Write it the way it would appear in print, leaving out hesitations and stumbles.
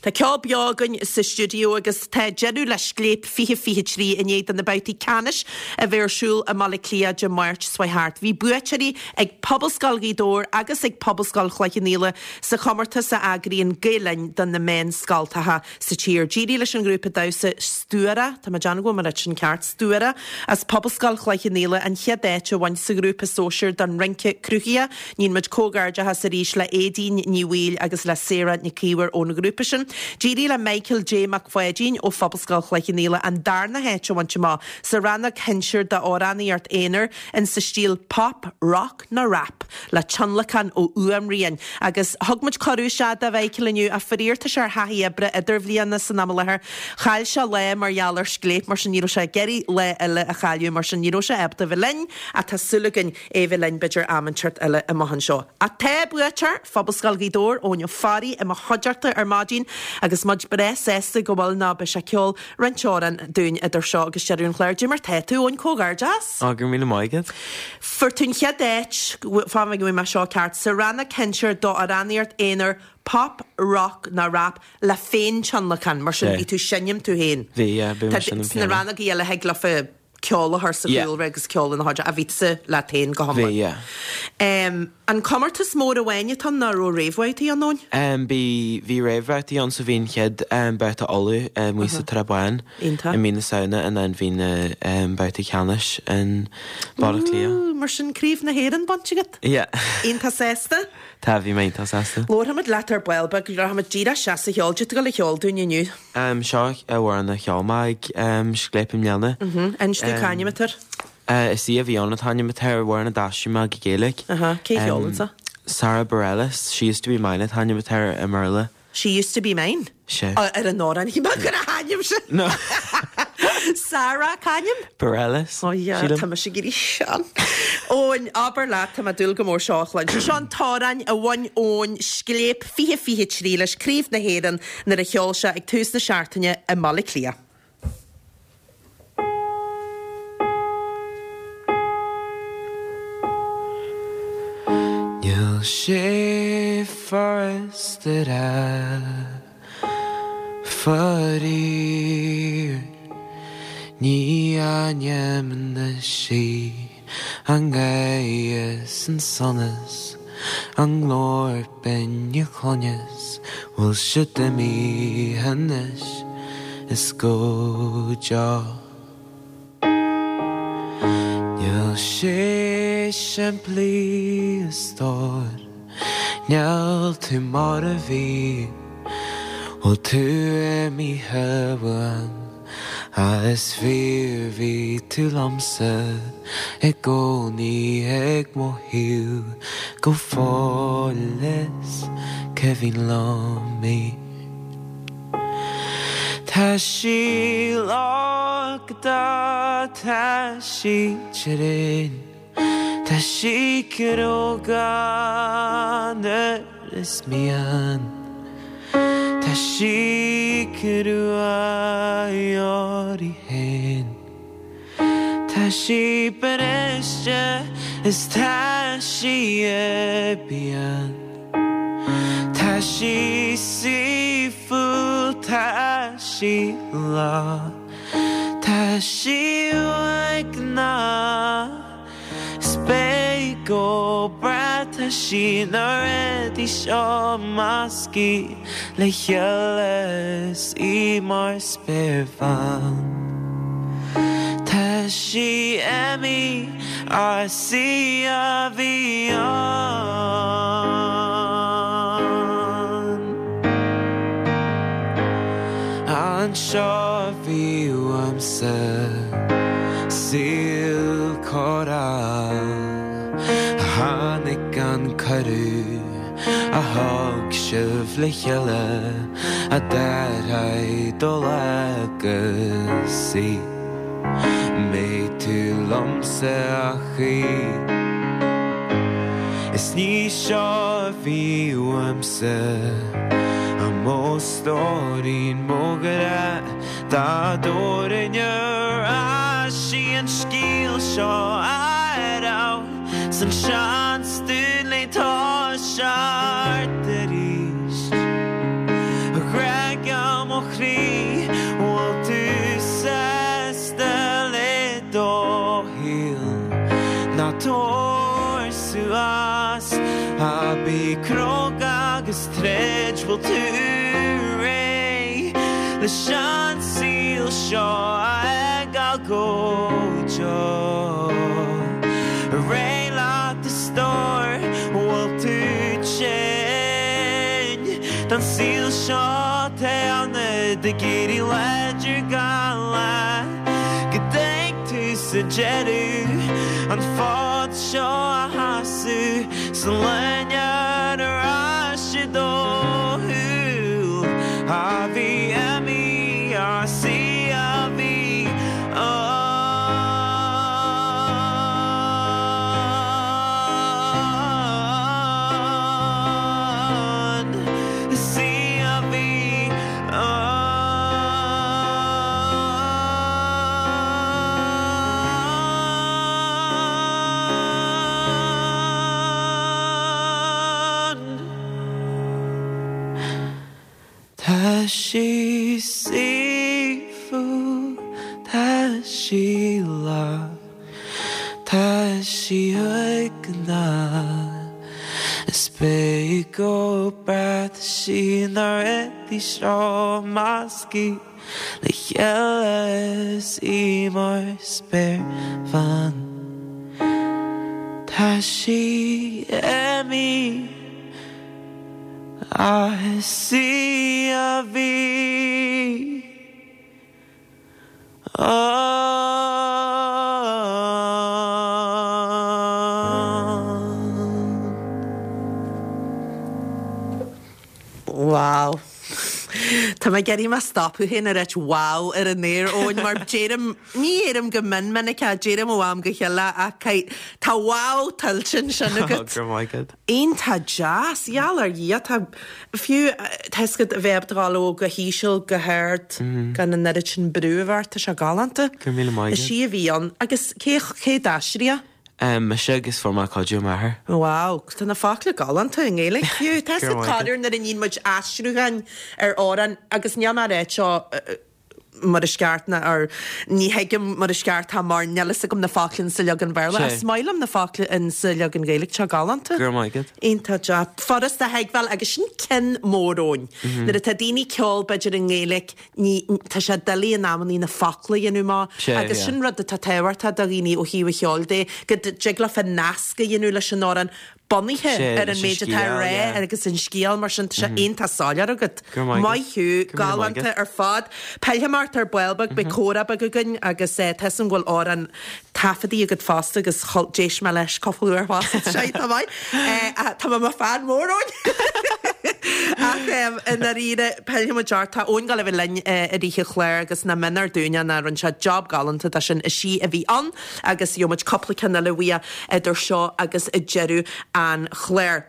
Tá ceol beo againn sa stiúideo agus tá deireadh le Scléip 2023 i ndiaidh do na babhtaí ceannais a bheith ar siúl i mBaile Átha Cliath Dé Máirt seo chuaigh thart. Bhí buaiteoirí ag Pobalscoil Ghaoth Dobhair agus ag Pobalscoil Chloich Cheann Fhaola sa chomórtas a eagraíonn Gael Linn do na meánscoltacha sa tír. D'éirigh leis an ghrúpa damhsa Stuara, tá mé ag déanamh go bhfuil mé ag ráit sin ceart, Stuara, as Pobalscoil Chloich Cheann Fhaola an chéad áit a bhaint sa ghrúpa sóisir don rince cruthaitheach. Níonn muid comhghairdeachas arís le Aedín Ní Bhaoill agus le Sarah Nic Íomhair ón ghrúpa sin. D'éirigh le Michael J Mac Pháidín ó Phobalscoil Chloich Cheann Fhaola an darna háit a bhaint amach sa rannóg shinsir d'amhránaíocht aonair in sa stíl pop, rock nó rap le tionlacan ó Fhuaimrian. Agus thug muid cuireadh isteach do Mhichael inniu ach faraor tá sé ar thaithí oibre idirbhliana san am i láthair. Chaill sé lá mar gheall ar Scléip mar sin ní raibh sé ag iarraidh lá eile a chailleadh mar sin ní raibh sé ábalta a bheith linn ach tá súil againn é bheith linn b'fhéidir am inteacht eile amach anseo. Ach tá buaiteoir Phobalscoil Ghaoth Dobhair, Eoin Ó Fearraigh, i mo chuideachta ar maidin agus muid breá sásta go bhfuil nó beidh sé ag ceol roinnt amhrán dúinn idir seo agus deireadh an chláir. Dé mar tá tú, Eoin, comhghairdeas! Á, go raibh míle maith agat. Fuair tú an chéad áit, fan go bhfaighidh mé seo ceart, sa rannóg shinsir d'amhránaíocht aonair pop, rock nó rap le féin-tionlacan, mar sin bhí tú seinm tú féin. Bhí, yeah, bhí mé seinm Sna rannógaí eile thig leofa ceol a chur sa chúlra agus ceol ina chuid, ach bhí tusa leat féin go hiomlán. Bhí, yeah. An comórtas mór amháin atá ann nó raibh réamhbhabhtaí ann, Eoin? Bhí, bhí réamhbhabhtaí ann so bhí an chéad babhta Uladh amuigh sa Tsrath Bán i mí na Samhna and then bhí na babhtaí ceannais in Baile Átha Cliath. Ooh, mar sin Craobh na hÉireann bainte agat? Yeah. Iontach sásta? Tá, bhí mé iontach sásta. Labharfaimid leat ar ball beag, rachaimid díreach isteach sa cheol. Cad é atá tú ag gabháil a cheol dúinn inniu? Seo amhrán a cheol mé ag Scléip i mbliana. Inis dom cá ainm atá air. Is í a bhí ann an t-ainm atá air, amhrán a d'aistrigh mé go Gaeilge. Cé a cheolann seo? Sara Bareilles, She Used To Be Mine an t-ainm atá air i mBéarla. She Used To Be Mine? Sea. Ar an amhrán, shíl mé gur a hainm sin. No. Sara, cá ainm? Bareilles, Ó yeah, sílim. tá mise ag éirí sean. Eoin, abair leat, tá mé ag dúil go mór seo a chluinstin. Seo an t-amhrán a bhain Eoin Scléip 2023 leis, Craobh na hÉireann, nuair a cheol sé ag tús na seachtaine i mBaile Átha Cliath. Níl sé furasta a rá faraor ní ainm anois í an ghaoth is an sonas an glór binn a chluineas bhfuil siad imithe anois is go deo. Níl sé simplí a stór, níl tú mar a bhí, bhfuil tú imithe uaim, ach is fíor bhí tú liomsa i gcónaí ag mo thaobh go fóill is cuimhin liom í. Tá sí lochta, tá sí tréan, tá sí cróga nuair is mian, tá sí crua uirthi féin. Tá sí briste is tá sí pian. Tá sí saoithiúil, tá sí lách, tá sí uaigneach. Is beidh go brách, tá sí na rudaí seo measctha le chéile is í mar spéirbhean. Tá sí imithe ach is í a bhí ann. Anseo a bhí uaimse saol cóireáil Tháinig an cuireadh a thug sibh le chéile a d'athraigh do lá agus í mbeidh tú liomsa a choíche Is ní seo a bhí uaimse a mo stóirín mo ghrá Dá dtabharfainn ar ais í an scéal seo a raibh 's an seans dúinn le toiseacht arís. A ghrá. mo chroí, bhfuil tú sásta le do shaol? Ná tabhair suas, ach bí cróga agus troid, bhfuil tú réidh leis an saol seo a fhágáil go deo? Réidh leat a stór, bhfuil tú tinn den saol seo tá ionat ag éirí láidir gach lá go dtig tú sa deireadh an fód seo a sheasamh 's an loinnir ar ais i do shúil a bhí imithe as í a bhí ann. Is í a bhí ann. Tá sí saoithiúil, tá sí lách, tá sí uaigneach. Is beidh go breá, tá sí na rudaí seo measctha le chéile is í mar spéirbhean. Tá sí imithe. Ach is í a bhí ann. Wow. Tá mé ag iarraidh mé stopadh féin a ráit wow ar an aer, Eoin, mar deirim, ní dheirim go mion minic é, deirim ó am go chéile ach tá wow tuillte ansin agat. Go raibh maith agat. Iontach deas, gheall ar Dhia, tá, fiú, tá fhios agat a bheith ábalta dul ó go híseal go hard gan an oiread sin brú a bheith ort, tá sé galánta. Go raibh míle maith agat. Is í a bhí ann. Agus cé, cé d'aistrigh é? Mise agus fuair mé cuidiú ó m'athair. Wow, tá na focla galánta i nGaeilge fiú. Tá fhios agat corruair nuair a níonn muid aistriúcháin ar amhrán agus níl mé ag ráit seo mar is ceart ná or ní thuigim mar is ceart tá mar níl fhios agam na focla insa leagan Béarla ach is maith liom na focla insa leagan Gaeilge, tá galánta. Go raibh maith agat. Iontach deas. Furasta a thuigbheáil agus sin ceann mór Eoin. Nuair atá daoine ag ceol b'fhéidir i nGaeilge ní, tá sé doiligh in amannaí na focla a dhéanamh amach Sea, agus yeah. sin rud atá tábhachtach do dhaoine ó thaobh an cheoil de, go dtig leofa nasc a dhéanamh leis an amhrán bunaithe Sea, ar an leis an méid atá á scéal, rá yeah. agus an scéal mar sin tá sé iontach soiléir agat. Go raibh maith agat. Maith thú, Go raibh míle maith galánta agat. ar fad. Pillfidh mé ort ar ball beag, beidh comhrá beag againn agus tá fhios agam go bhfuil amhrán taifeadtaí agat fosta agus d'éist mé leis cúpla uair fosta, tá sé iontach maith. Tá mé i mo fan mór, Eoin! Ach i ndáiríre, pillfidh muid ort. Tá Eoin ag gabháil a bheith linn i rith an chláir agus nach méanar dúinne ná rinne sé job galánta de sin. Is í a bhí ann agus gheobhaidh muid cúpla ceann eile uaidh idir seo agus deireadh an chláir.